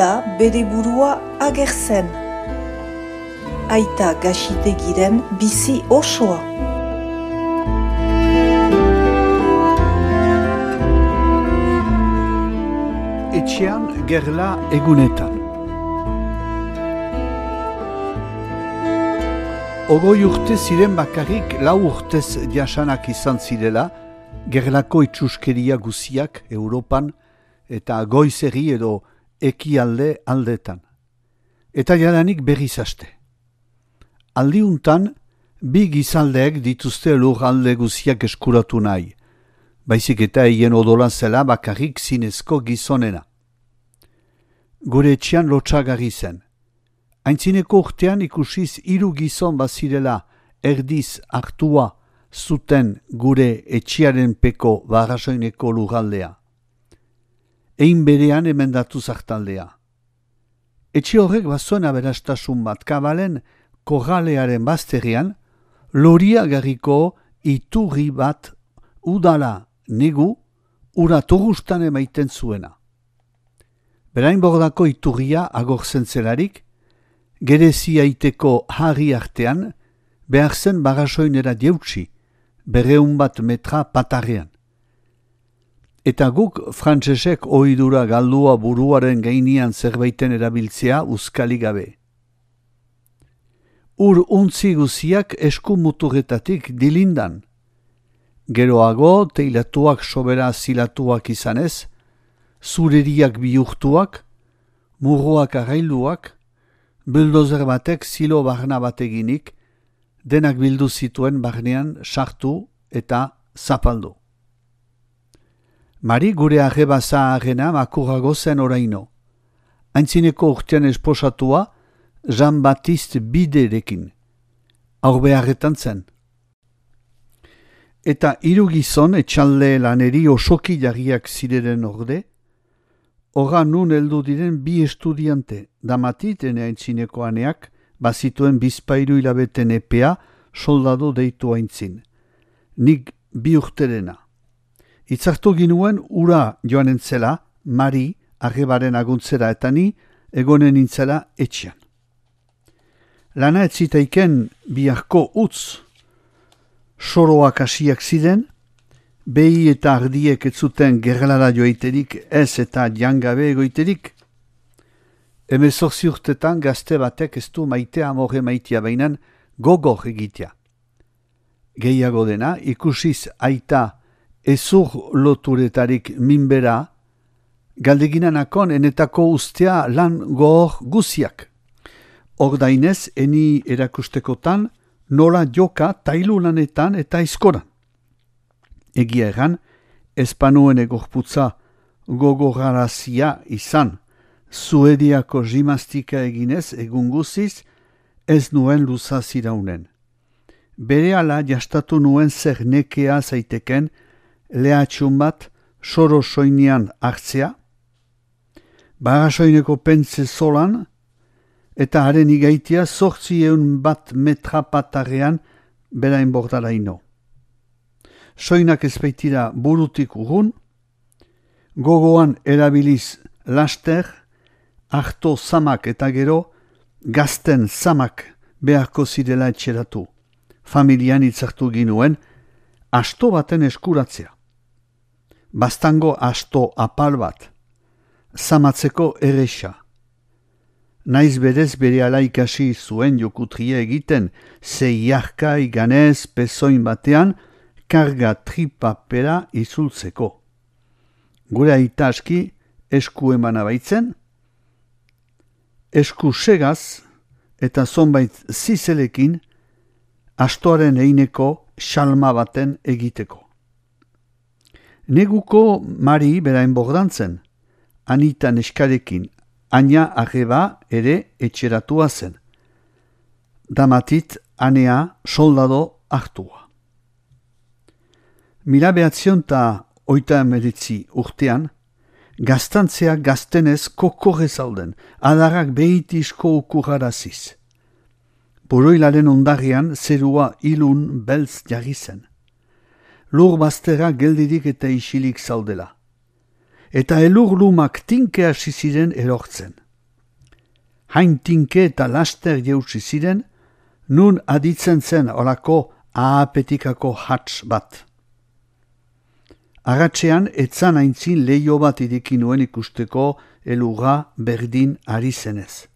da bere burua agertzen. Aita Gaxitegiren bizi osoa. Etxean gerla egunetan. Ogoi urte ziren bakarrik 4 urtez jasanak izan zirela, gerlako itxuskeria guziak Europan eta goizegi edo ekialde aldetan. Eta jadanik berriz haste. Aldiuntan, bi gizaldeek dituzte lurralde guziak eskuratu nahi, baizik eta hien odola zela bakarrik zinezko gizonena. Gure etxean lotsagarri zen. Aintzineko urtean ikusiz 3 gizon bazirela erdiz hartua zuten gure etxearen peko Barrasoineko lurraldea. Ein berean emendatu zartaldea. Etxe horrek bazuen aberastasun bat kabalen korralearen bazterrean, loriagarriko iturri bat udala negu ura torustan emaiten zuena. Berain bordako iturria agortzen zelarik, gerezi aiteko harri artean, behar zen Barrasoinera jeutsi, 200 metra patarrean. Eta guk frantsesek ohidura galdua buruaren gainean zerbaiten erabiltzea uzkali gabe. Ur untzi guziak esku muturretatik dilindan. Geroago teilatuak sobera zilatuak izanez, zureriak bihurtuak, murroak arrailuak, buldozer batek zilo barna bateginik, denak bildu zituen barnean sartu eta zapaldu. Mari gure arreba zaharrena makurrago zen oraino. Aintzineko urtean esposatua Jean-Baptiste Biderekin. Aurbeharretan zen. Eta 3 gizon etxalde laneri osoki jarriak zireren orde, horra nun heldu diren 2 estudiante, Damatit ene aintzineko aneak, bazituen bizpahiru hilabeten epea soldadu deitu aintzin. Nik 2 urterena. Itzartu ginuen ura joan entzela, Mari, arrebaren aguntzera eta ni, egonen intzela etxean. Lana ez zitaiken biharko utz, soroak hasiak ziren, behi eta ardiek ez zuten gerlara joiterik, ez eta jangabe egoiterik. 18 urtetan gazte batek ez du maitea amore maitea bainan gogor egitea. Gehiago dena, ikusiz aita ezur loturetarik minbera, galdeginanakon enetako ustea lan gogor guziak. Ordainez, eni erakustekotan, nola joka tailu lanetan eta aizkoran. Egia egan, espanuen egorputza gogorarazia izan, Suediako gimnastika eginez egun guziz, ez nuen luza ziraunen. Berehala jastatu nuen zer nekea zaiteken, lehatxun bat soro soinean hartzea, Barrasoineko pentze zolan, eta haren igaitia 800 metra patarrean berain bordaraino. Soinak ez baitira burutik urrun, gogoan erabiliz laster, harto zamak eta gero, gazten zamak beharko zirela etxeratu. Familian itzartu ginuen, asto baten eskuratzea. Bastango asto apal bat, zamatzeko erresa. Naiz berez berehala ikasi zuen jokutria egiten, zeiarka iganez pezoin batean, karga tripapera izultzeko. Gure aita aski esku emana baitzen, esku segaz eta zonbait zizelekin astoaren eineko xalma baten egiteko. Neguko Mari berain bordantzen, Anita neskarekin, Aina arreba ere etxeratua zen. Damatit anea soldado hartua. 1989 urtean, gaztantzea gaztenez kokorre zauden, adarrak behitizko ukurraraziz. Boroilaren ondarrian zerua ilun beltz jarri zen. Lur bazterra geldirik eta isilik zaudela. Eta elur lumak tinke hasi ziren erortzen. hain tinke eta laster jeusi ziren, nun aditzen zen olako ahapetikako hats bat. Agatxean etzan aintzin leio bat ireki nuen ikusteko eluga berdin ari zenez.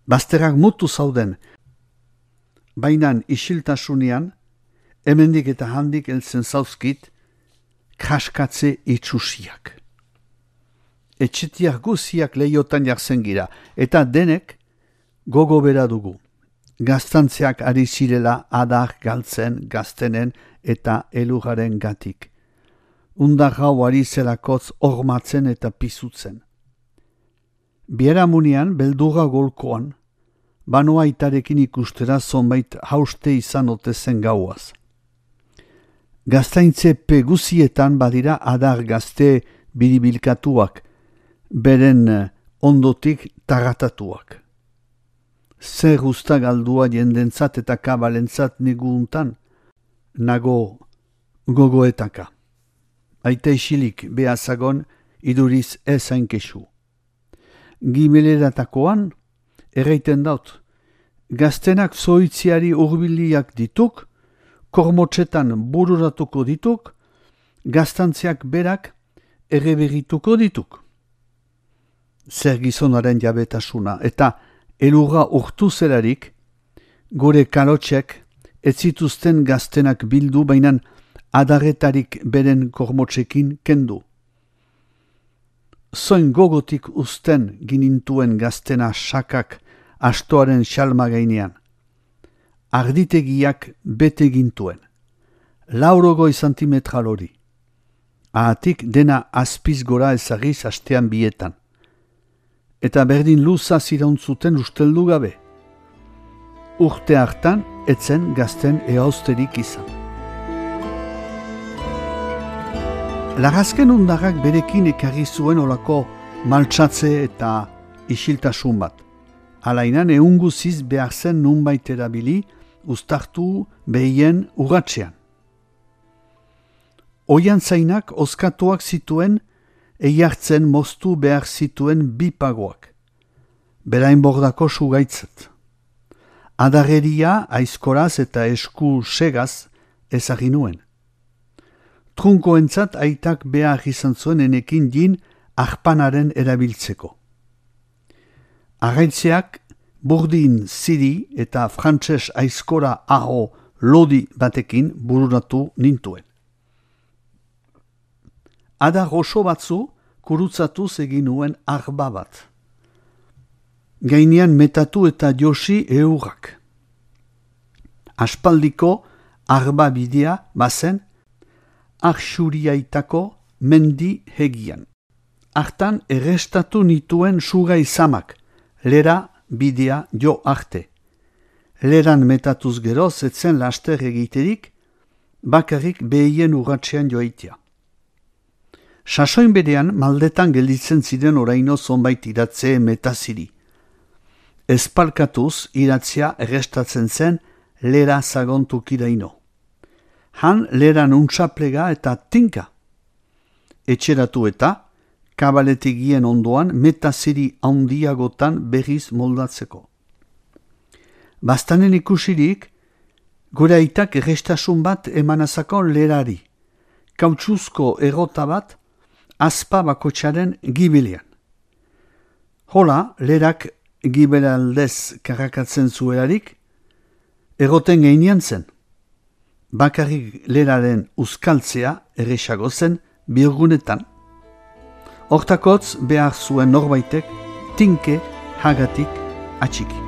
Bazterrak mutu zauden, bainan isiltasunean, hemendik eta handik heltzen zauzkit, kaskatze itxusiak. Etxetiak guziak leiotan jartzen gira, eta denek gogo bera dugu. Gaztantzeak ari zirela adar galtzen gaztenen eta elugaren gatik. Undar gau ari zelakotz ormatzen eta pizutzen. Bieramunean beldurra golkoan, banoa itarekin ikustera zonbait hauste izan otezen gauaz. Gaztaintze peguzietan badira adar gazte biribilkatuak, beren ondotik tagatatuak. Zer usta galdua jendentzat eta kabalentzat neguuntan, nago gogoetaka. Aita isilik behazagon iduriz ez hainkesu. Gimeleratakoan, erraiten daut, gaztenak zoitziari urbiliak dituk, kormotxetan bururatuko dituk, gaztantziak berak erreberituko dituk. Zer gizonaren jabetasuna, eta elurra urtu zelarik, gure kalotxek ez zituzten gaztenak bildu, bainan adarretarik beren kormotxekin kendu. Zoin gogotik uzten ginintuen gaztena sakak astoaren xalma gainean. Arditegiak bete gintuen. 80 santimetral hori. Ahatik dena azpiz gora ezagiz astean bietan. Eta berdin luza zirauntzuten usteldu gabe. Urte hartan etzen gazten ehauzterik izan. Lagazken undarrak berekin ekarri zuen olako maltsatze eta isiltasun bat. Alainan eunguziz behar zen nunbait erabili, uztartu behien urratxean. Oian zainak oskatuak zituen, eiartzen moztu behar zituen bipagoak. Berain bordako sugaitzat. Adarreria aizkoraz eta esku segaz ezagin nuen. Trunkoentzat aitak behar izan zuen enekin jin arpanaren erabiltzeko. Arraitzeak burdin ziri eta frantses aizkora aho lodi batekin bururatu nintuen. Adar oso batzu kurutzatuz egin nuen arba bat. Gainean metatu eta josi eurrak. Aspaldiko arba bidea bazen Arxuriaitako mendi hegian. Hartan errestatu nituen suga izamak, lera bidea jo arte. Leran metatuz geroz etzen laster egiterik, bakarrik behien urratxean joaitia. Sasoin berean maldetan gelditzen ziren oraino zonbait iratze metaziri. Espalkatuz iratzea errestatzen zen lera zagontukiraino. Han leran untsaplega eta tinka. Etxeratu eta, kabaletegien ondoan metaziri handiagotan berriz moldatzeko. Bastanen ikusirik, gure aitak errestasun bat emanazako lerari, kautxuzko errota bat, azpa bakotxaren gibilean. Hola, lerak gibelandez karakatzen zuelarik, erroten gainean zen. Bakarrik leraren uzkaltzea erresago zen birgunetan. Hortakotz behar zuen norbaitek tinke hagatik atxiki.